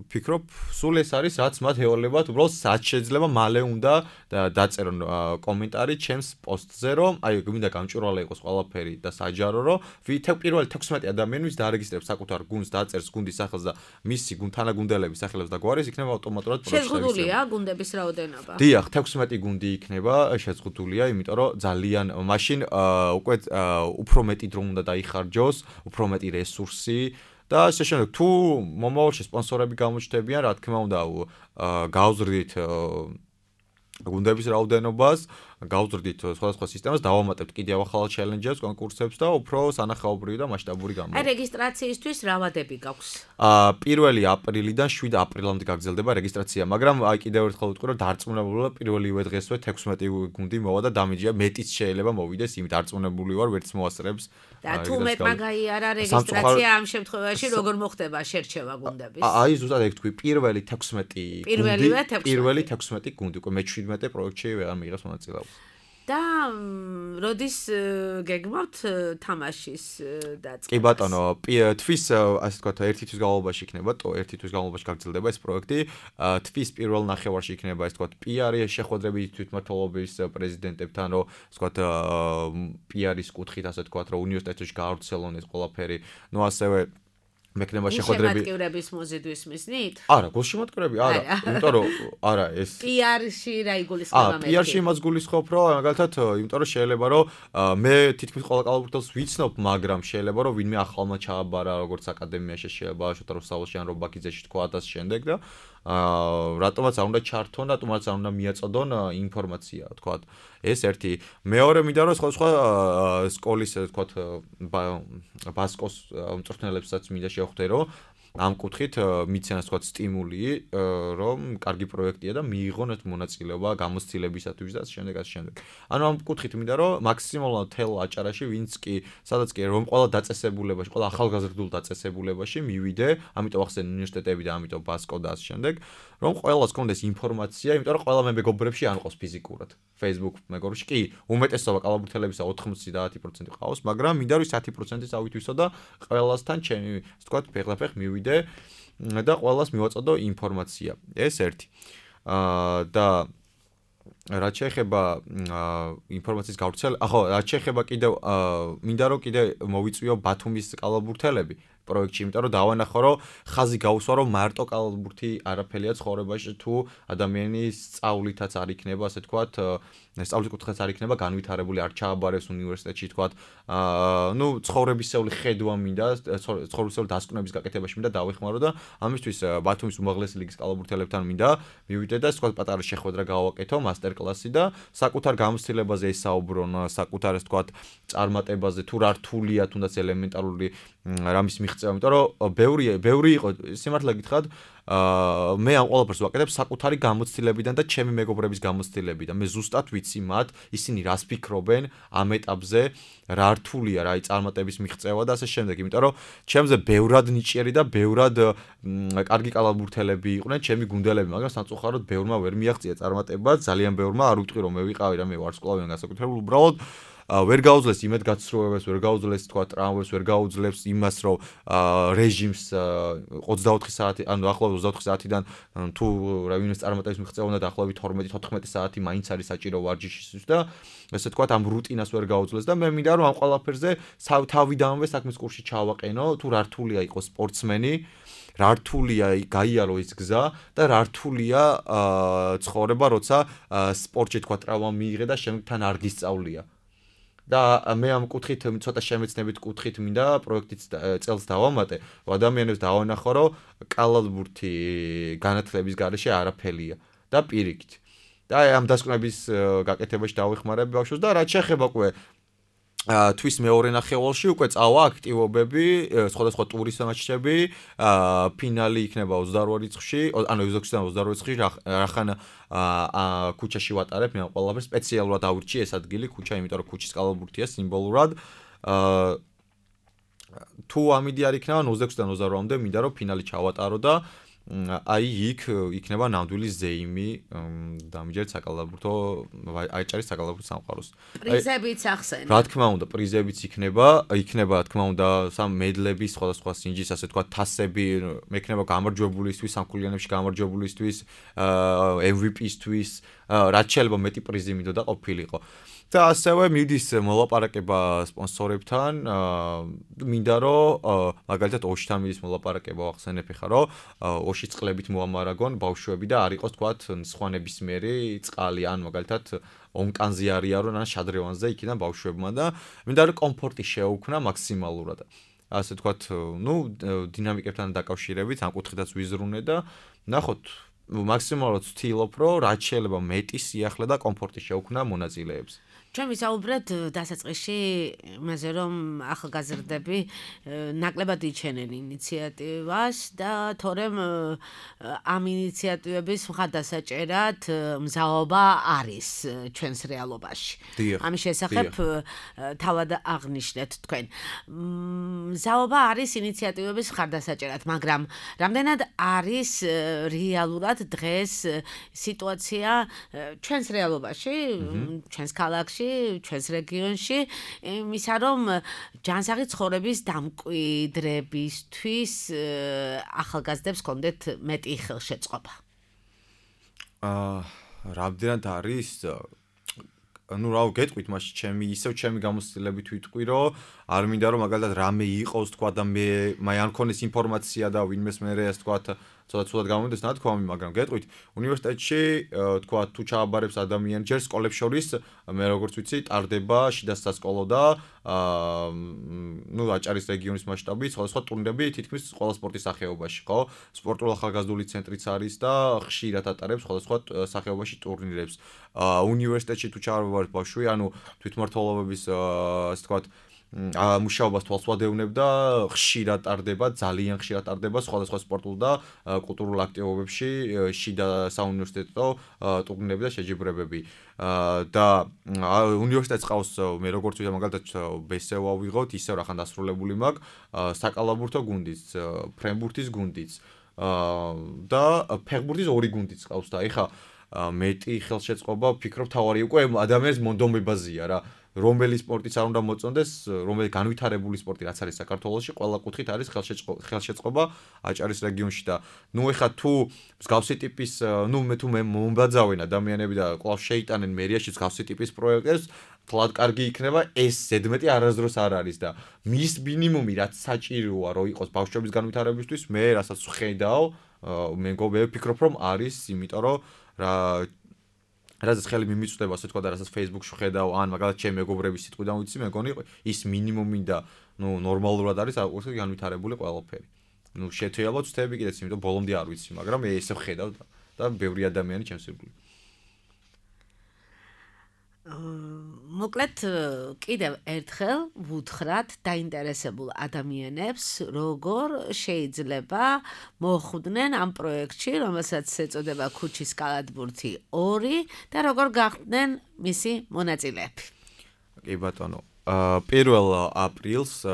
ფიქრობ, სულ ეს არის, რაც მათ ევალებათ, უბრალოდ რაც შეიძლება მალე უნდა დაწერონ კომენტარი ჩემს პოსტზე, რომ აი გვინდა გამჭვირვალე იყოს ყველაფერი და საჯარო, რომ პირველი 16 ადამიანი, ვინც დაარეგისტრირებს საკუთარ გუნდს, დაწერს გუნდის სახელს და მისი თანაგუნდელების სახელებს და გვარებს, იქნება ავტომატურად პროცესი. შეზღუდულია გუნდების რაოდენობა? დიახ, 16 გუნდი იქნება შეზღუდულია, იმიტომ რომ ძალიან მაშინ უკვე უფრო მეტი დრო უნდა დაიხარჯოს, უფრო მეტი რესურსი და ასე შემდეგ, თუ მომავალში სპონსორები გამოჩნდებიან, რა თქმა უნდა, გავზრდით გუნდების რაოდენობას, გავზრდით სხვადასხვა სისტემას, დავამატებთ კიდევ ახალ ჩელენჯებს, კონკურსებს და უფრო სანახაობრივი და მასშტაბური გამოვა. აი რეგისტრაციისთვის რა ვადები გაქვს? 1 აპრილიდან 7 აპრილამდე გაგრძელდება რეგისტრაცია, მაგრამ აი კიდევ ერთხელ ვიტყვი, რომ დარწმუნებულა პირველივე დღესვე 16 გუნდი მოვა და დამიჯია მეტიც შეიძლება მოვიდეს, იმით დარწმუნებული ვარ, ვერც მოასწრებს. და თუ მეტმა გაიარა რეგისტრაცია ამ შემთხვევაში როგორ მოხდება შერჩევა გუნდების? აი ზუსტად ეგ თქვი, პირველი 16 პირველი 16 გუნდი, უკვე მე-17 პროექტში ვეღარ მიიღებს მონაწილეობას. და როდის გეგმავთ თამაშის დაწყებას? კი ბატონო, თვის ასე ვთქვათ, ერთი თვის განმავლობაში იქნება, ერთი თვის განმავლობაში გაგრძელდება ეს პროექტი. თვის პირველ ნახევარში იქნება ასე ვთქვათ, PR-ი შეხვედრები თვითმმართველობის პრეზიდენტებთან, რომ ასე ვთქვათ, PR-ის კუთხით ასე ვთქვათ, რომ უნივერსიტეტში გაავრცელონ ეს ყველაფერი. ნუ ასევე მექნება შეხვედრები. შემატკივრების მოზიდვის მიზნით? არა, გულშემატკივრები არა, იმიტომ რომ არა ეს PR-ში რა იგულისხმება მე? PR-ში იმას გულისხმობ, რომ მაგალითად, იმიტომ რომ შეიძლება რომ მე თითქმის ყველა კალათბურთელს ვიცნობ, მაგრამ შეიძლება რომ ვინმე ახალმა ჩააბარა, როგორც აკადემიაში შეიძლება შოთა რუსთაველში ან რობაქიძეში თქვა და შემდეგ და რატომაც არ უნდა ჩართონ, რატომაც არ უნდა მიაწოდონ ინფორმაცია, თქვათ. ეს ერთი. მეორე მინდა რომ სხვა სკოლის, თქვათ, ბასკოს მწვრთნელებსაც მინდა შევხვდე, რომ ამ კუთხით მიცენა თქვათ სტიმული, რომ კარგი პროექტია და მიიღონ ეს მონაწილეობა გამოცდილებისათვის და შემდეგ. ანუ ამ კუთხით მინდა რომ მაქსიმალურად თელ აჭარაში ვინც კი, სადაც კი რომ ყველა დაწესებულებაში, ყველა ახალგაზრდულ დაწესებულებაში მივიდე, ამიტომ ახსენე უნივერსიტეტები და ამიტომ ბასკო და შემდეგ, რომ ყველას კონდეს ინფორმაცია, იმიტომ რომ ყველა მე მეგობრებში არ ყავს ფიზიკურად. Facebook მეგობრებში კი, უმეტესობა კალათბურთელებისა 90% ყავს, მაგრამ მინდა რომ 10%-იც ავითვისო და ყველასთან ჩემი, ასე ვთქვათ, ფეხდაფეხ მივიდე და ყველას მივაწოდო ინფორმაცია. ეს ერთი. და რაც შეეხება ინფორმაციის გავრცელებას, რაც შეეხება კიდევ მინდა რომ კიდე მოვიწვიო ბათუმის კალათბურთელები პროექტში, იმიტომ რომ დავანახო, რომ ხაზი გაუსვა, რომ მარტო კალათბურთი არაფერია ცხოვრებაში, თუ ადამიანის სწავლითაც არ იქნება, ასე ვთქვათ, სწავლის კუთხეც არ იქნება განვითარებული, არ ჩააბარეს უნივერსიტეტში, ვთქვათ, ნუ ცხოვრებისეული ხედვა მინდა, ცხოვრებისეული დასკვნების გაკეთებაში მინდა დავეხმარო და ამისთვის ბათუმის უმაღლესი ლიგის კალათბურთელებთან მინდა მივიდე და ვთქვათ, პატარა შეხვედრა გავაკეთო, მასტერკლასი და საკუთარ გამოცდილებაზე ესაუბრონ, საკუთარ, ასე ვთქვათ, წარმატებაზე, თუ რა რთულია, თუნდაც ელემენტარული რამის მიღწევა, იმიტომ რომ ბევრი იყო, სიმართლე გითხრათ, მე ამ ყველაფერს ვაკეთებ საკუთარი გამოცდილებიდან და ჩემი მეგობრების გამოცდილებიდან. მე ზუსტად ვიცი მათ, ისინი რას ფიქრობენ ამ ეტაპზე, რა რთულია რა წარმატების მიღწევა და ასე შემდეგ, იმიტომ რომ ჩემზე ბევრად ნიჭიერი და ბევრად კარგი კალათბურთელები იყვნენ, ჩემი გუნდელები, მაგრამ სამწუხაროდ ბევრმა ვერ მიაღწია წარმატება, ძალიან ბევრმა არ ვიტყვი რომ მე ვიყავი რა, მე ვარსკვლავიან განსაკუთრებულ, უბრალოდ ვერ გაუძლეს იმედგაცრუებებს, ვერ გაუძლეს თქვა ტრამვებს, ვერ გაუძლებს იმას, რომ რეჟიმს 24 საათი, ანუ ახლავე 24 საათიდან თუ რა ვინმეს წარმატების მიღწევა უნდა დაახლოებით 12-14 საათი მაინც არის საჭირო ვარჯიშისთვის და ესე თქვა ამ რუტინას ვერ გაუძლეს და მე მინდა რომ ამ ყველაფერზე თავიდანვე საქმის კურსში ჩავაყენო, თუ რა რთულია იყოს სპორტსმენი, რა რთულია გაიარო ის გზა და რა რთულია ცხოვრება, როცა სპორტში თქვა ტრავმა მიიღე და შემდეგ თან არ გისწავლია. და მე ამ კუთხით ცოტა შემეცნებით კუთხით მინდა პროექტიც წელს დავამატე, ადამიანებს დავანახო, რომ კალათბურთი განათლების გარეშე არაფერია და პირიქით. და ამ დასკვნების გაკეთებაში დავეხმარებ ბავშვებს და რაც შეეხება უკვე თვის მეორე ნახევარში უკვე წავა აქტივობები, სხვადასხვა ტურის მატჩები, ფინალი იქნება 28 რიცხვში, ანუ 28 რიცხვში, რახან ქუჩაში ვატარებ, მე ყველაფერს სპეციალურად ავირჩიე ეს ადგილი, ქუჩა, იმიტომ რომ ქუჩის კალათბურთია სიმბოლურად. თუ ამიდი არ იქნება 26-დან 28-მდე მინდა რომ ფინალი ჩავატარო და აი იქ იქნება ნამდვილი ზეიმი დამიჯერეთ საკალათბურთო აჭარის საკალათბურთო სამყაროს. პრიზებიც ახსენე. რა თქმა უნდა, პრიზებიც იქნება, რა თქმა უნდა, სამ მედლების, სხვადასხვა სინჯის, ასე თქვა, თასები, მექნება გამარჯვებულისთვის, სამქულიანებში გამარჯვებულისთვის, MVP-ისთვის, რაც შეიძლება მეტი პრიზი მინდოდა ყოფილიყო. და ასევე მიდის მოლაპარაკება სპონსორებთან, მინდა რომ მაგალითად ოშთან მიდის მოლაპარაკება ახსენებ ხა რომ ოშის წყლებით მოამარაგონ ბავშვები და არ იყოს თქვათ სხვა ნებისმიერი წყალი ან მაგალითად ონკანზე არიარონ ან შადრევანზე იქიდან ბავშვებმა და მინდა რომ კომფორტი შეუქმნა მაქსიმალურად. ასე თქვათ, ნუ დინამიკებთან დაკავშირებით ამ კუთხითაც ვიზრუნე და ნახოთ მაქსიმალურად ვცდილობ, რომ რაც შეიძლება მეტი სიახლე და კომფორტი შევქმნა მონაწილეებს. ჩვენ ვისაუბრეთ დასაწყისში იმაზე, რომ ახალგაზრდები ნაკლებად იჩენენ ინიციატივას და თორემ ამ ინიციატივების მხარდასაჭერად მზაობა არის ჩვენს რეალობაში. ამის შესახებ თავად აღნიშნეთ თქვენ. მზაობა არის ინიციატივების მხარდასაჭერად, მაგრამ რამდენად არის რეალურად დღეს სიტუაცია ჩვენს რეალობაში, ჩვენს ქალაქში, ჩვენს რეგიონში, იმისა რომ ჯანსაღი ცხოვრების დამკვიდრებისთვის ახალგაზრდებს კონდეთ მეტი ხელშეწყობა. რამდენად არის ну რა გეტყვით მაშინ ჩემი გამოცდილებით ვიტყვი რომ არ მინდა რომ მაგალითად რამე იყოს თქვა და მე არ მქონდეს ინფორმაცია და ვინმეს მე ეს თქვა ცოტა გამომდეს ნათქვამი მაგრამ გეტყვით უნივერსიტეტში თქვა თუ ჩააბარებს ადამიანი ჯერ სკოლებს შორის მე როგორც ვიცი ტარდება შიდა სასკოლო და ну აჭარის რეგიონის მასშტაბით სხვადასხვა ტურნირები თითქმის ყველა სპორტის სახეობაში ხო სპორტულ ახალგაზრდული ცენტრიც არის და ხშირად ატარებს სხვადასხვა სახეობაში ტურნირებს უნივერსიტეტში თუ ჩააბარებს ბავშვი ანუ თვითმმართველობების ასე თქვა მუშაობას თვალს ვადევნებ და ხშირად ტარდება ძალიან ხშირად ტარდება სხვადასხვა სპორტულ და კულტურულ აქტივობებში შიდა საუნივერსიტეტო ტურნირები და შეჯიბრებები და უნივერსიტეტს ყავს მე როგორც ვიტყვი მაგალითად ბესევა ვიღოთ ისევ რახან დასრულებული მაქვს საკალაბურთო გუნდიც ფრენბურთის გუნდიც და ფეხბურთის ორი გუნდიც ყავს და ეხა მეტი ხელშეწყობა ვფიქრობ თავარი უკვე ადამიანის მონდომებაზეა რა რომელი სპორტიც არ უნდა მოწონდეს, რომელი განვითარებული სპორტი რაც არის საქართველოში, ყველა კუთხით არის ხელშეწყობა აჭარის რეგიონში და ნუ ეხა თუ მსგავსი ტიპის, ნუ მე მომბაძავენ ადამიანები და კვლავ შეიტანენ მერიაში მსგავსი ტიპის პროექტებს, თლად კარგი იქნება, ეს ზედმეტი არასდროს არ არის და მის მინიმუმი რაც საჭიროა რომ იყოს ბავშვების განვითარებისთვის, მე რასაც ვხედავ, მე ვფიქრობ რომ არის, იმიტომ რომ რასაც ხელი მიმიწვდება, ასე თქვა და რასაც Facebook-ში ვხედავ, ან მაგალითად ჩემი მეგობრების სიტყვიდან ვიცი, მეგონი ის მინიმუმი და ნუ ნორმალურად არის აუცილებლად განვითარებული ყველაფერი. ნუ შეთეალოთ ვთები კიდეც, იმიტომ ბოლომდე არ ვიცი, მაგრამ მე ესე ვხედავ და ბევრი ადამიანი ჩემს ირგვლივ. მოკლედ კიდევ ერთხელ ვუთხრათ დაინტერესებულ ადამიანებს, როგორ შეიძლება მოხვდნენ ამ პროექტში, რომელსაც ეწოდება ქუჩის კალათბურთი 2 და როგორ გახდნენ მისი მონაწილეები. კი ბატონო, 1 აპრილს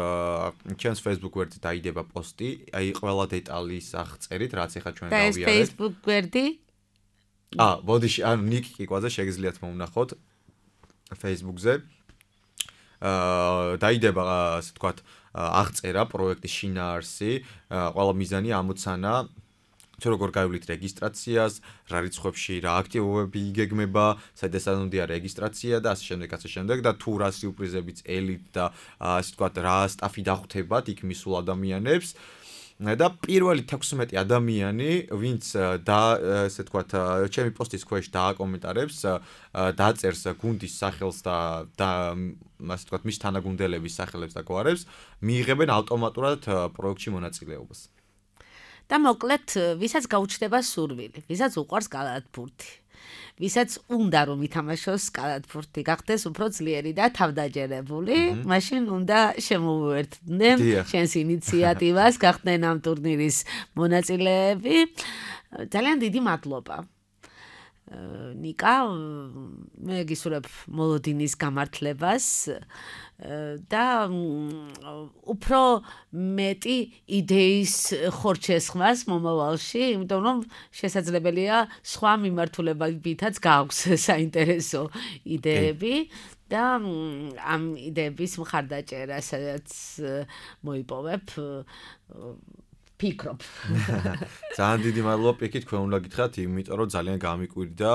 ჩემს Facebook გვერდზე დაიდება პოსტი, აი ყველა დეტალის აღწერით, რაც ეხა ჩვენ გავიარეთ. და ეს Facebook გვერდი? ბოდიში, ანუ ნიკი კიკვაძე შეგიძლიათ მომნახოთ. Facebook-ზე დაიდება ასე ვთქვათ აღწერა პროექტის შინაარსი, ყველა მიზანი ამოცანა თუ როგორ გაივლით რეგისტრაციას, რა რიცხვებში რა აქტივობები იგეგმება, სადესანონდია რეგისტრაცია და ასე შემდეგ და თუ რა სიურპრიზებიც ელით და ასე ვთქვათ რა სტაფი დახვდებათ იქ მისულ ადამიანებს და პირველი 16 ადამიანი, ვინც ესე ვთქვათ, ჩემი პოსტის ქვეშ დააკომენტარებს, დაწერს გუნდის სახელს და ასე ვთქვათ, მის თანაგუნდელების სახელებს და გვარებს, მიიღებენ ავტომატურად პროექტში მონაწილეობას. და მოკლედ, ვისაც გაუჩნდება სურვილი, ვისაც უყვარს კალათბურთი, ვისაც უნდა რომ ითამაშოს კალათბურთი, გახდეს უფრო ძლიერი და თავდაჯერებული, მაშინ უნდა შემოუერთდნენ შენს ინიციატივას, გახდნენ ამ ტურნირის მონაწილეები. ძალიან დიდი მადლობა. ნიკა, მე გისურვებ მოლოდინის გამართლებას და უფრო მეტი იდეის ხორჩესხმას მომავალში, იმიტომ რომ შესაძლებელია სხვა მიმართულებებითაც გააქვს საინტერესო იდეები და ამ იდეების მხარდაჭერა, სადაც მოიპოვებ ფიქრობ. ძალიან დიდი მადლობა პიკით, თქვენ უნდა გითხრათ, იმიტომ რომ ძალიან გამიკვირდა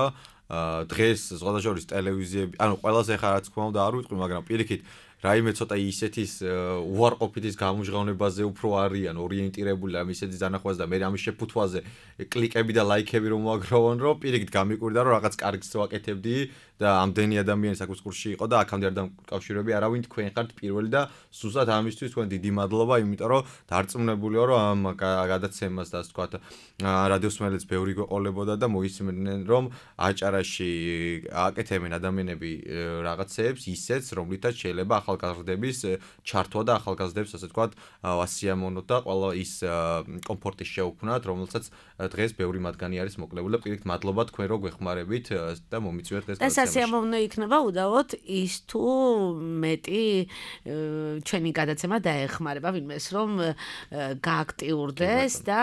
დღეს ზღუდაშორის ტელევიზიები, ანუ ყველაზე ხარ რაც თქვა უნდა არ ვიტყვი, მაგრამ პირიქით რაიმე ცოტა ისეთის უარყოფითის გამოჟღავნებაზე უფრო არიან ორიენტირებული ამ ისეთის დანახვაზე და მე ამის შეფუთვაზე კლიკები და ლაიქები რომ მოაგროვონ, რომ პირიქით გამიკვირდა რომ რაღაც კარგს ვაკეთებდი და ამდენი ადამიანი საქმის კურსში იყო და აქამდე არ დამკავშირები არავინ თქვენ ხართ პირველი და სუსტად ამისთვის თქვენ დიდი მადლობა, იმიტომ რომ დარწმუნებულიო რომ ამ გადაცემას და ასე ვთქვათ რადიოსმენელიც ბევრი გვეყოლებოდა და მოისმენდნენ რომ აჭარაში აკეთებენ ადამიანები რაღაცეებს ისეც რომლითაც შეიძლება ახალგაზრდების ჩართვა და ახალგაზრდებს ასე ვთქვათ ვასიამოვნოთ და ყველა ის კომფორტი შეუქმნათ რომელსაც დღეს ბევრი მათგანი არის მოკლებული და პირიქით მადლობა თქვენ რო გვეხმარებით და მომიწვიეთ დღეს და სასიამოვნო იქნება უდავოდ ის თუ მეტი ჩვენი გადაცემა დაეხმარება ვინმეს რომ გააქტიურდეს და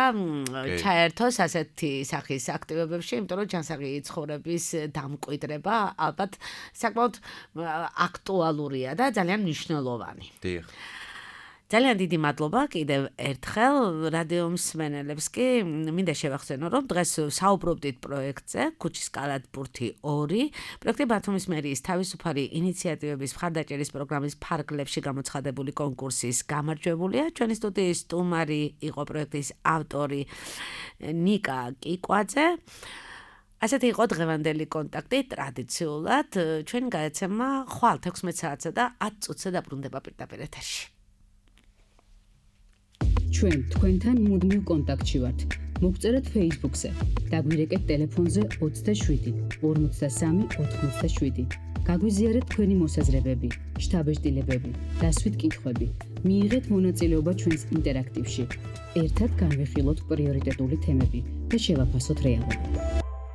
ჩაერთოს ასეთი სახის აქტივობებში, იმიტომ რომ ჯანსაღი ცხოვრების დამკვიდრება ალბათ საკმაოდ აქტუალურია და ძალიან მნიშვნელოვანი. დიახ. ძალიან დიდი მადლობა კიდევ ერთხელ რადიო მსმენელებს კი მინდა შევახსენო რომ დღეს საუბრობდით პროექტზე ქუჩის კალათბურთი 2 პროექტი ბათუმის მერიის თავისუფალი ინიციატივების მხარდაჭერის პროგრამის ფარგლებში გამოცხადებული კონკურსის გამარჯვებულია ჩვენი სტუდიის სტუმარი იყო პროექტის ავტორი ნიკა კიკვაძე ასეთი იყო დღევანდელი კონტაქტი ტრადიციულად ჩვენი გადაცემა ხვალ 16 საათსა და 10 წუთზე დაბრუნდება პირდაპირ ეთერში ჩვენ თქვენთან მუდმივ კონტაქტში ვართ. მოგწერეთ Facebook-ზე. დაგვირეკეთ ტელეფონზე 27 53 87. გაგვიზიარეთ თქვენი მოსაზრებები, შთაბეჭდილებები, დასვით კითხვები. მიიღეთ მონაწილეობა ჩვენს ინტერაქტივში. ერთად განვიხილოთ პრიორიტეტული თემები და შევაფასოთ რეალობა.